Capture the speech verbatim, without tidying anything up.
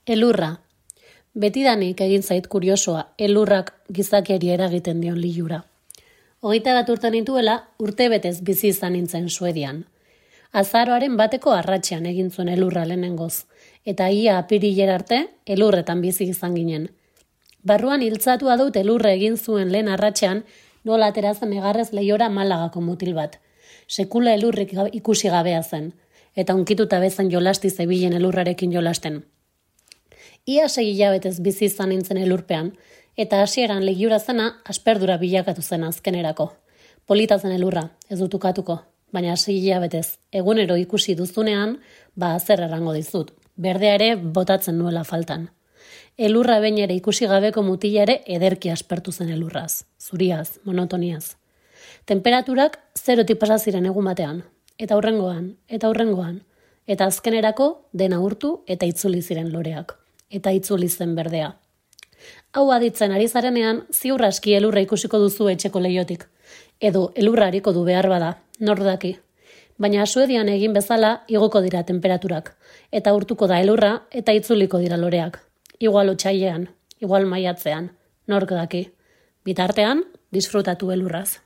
Elurra. Betidanik egin zait kuriosoa, elurrak gizakiari eragiten dion lilura. Hogeita bat urte nituela, urte betez bizi izan nintzen Suedian. Azaroaren bateko arratsean egin zuen elurra lehenengoz, eta ia apirilera arte elurretan bizi izan ginen. Barruan hiltzatua dut elurra egin zuen lehen arratsean, nola aterazen egarrez leihora Malagako mutil bat. Sekula elurrik ikusi gabea zen, eta unkituta bezan jolasti zebilen elurrarekin jolasten. Ia sei hilabetez bizi izan nintzen elurpean, eta hasieran legiura zena asperdura bilakatu zen azkenerako. Polita zen elurra, ez dut ukatuko, baina sei hilabetez egunero ikusi duzunean, ba zer errango dizut, berdea ere botatzen nuela faltan. Elurra behin ere ikusi gabeko mutila ere ederki aspertu zen elurraz, zuriaz, monotoniaz. Temperaturak zerotik pasa ziren egun batean, eta hurrengoan, eta hurrengoan, eta azkenerako dena urtu eta itzuli ziren loreak. Eta itzuli zen berdea. Hau aditzen ari zarenean, ziur aski elurra ikusiko duzu etxeko leiotik. Edo elurra hariko du behar bada, nor daki. Baina Suedian egin bezala igoko dira temperaturak. Eta urtuko da elurra eta itzuliko dira loreak. Igual otsailean, igual maiatzean, nork daki. Bitartean, disfrutatu elurraz.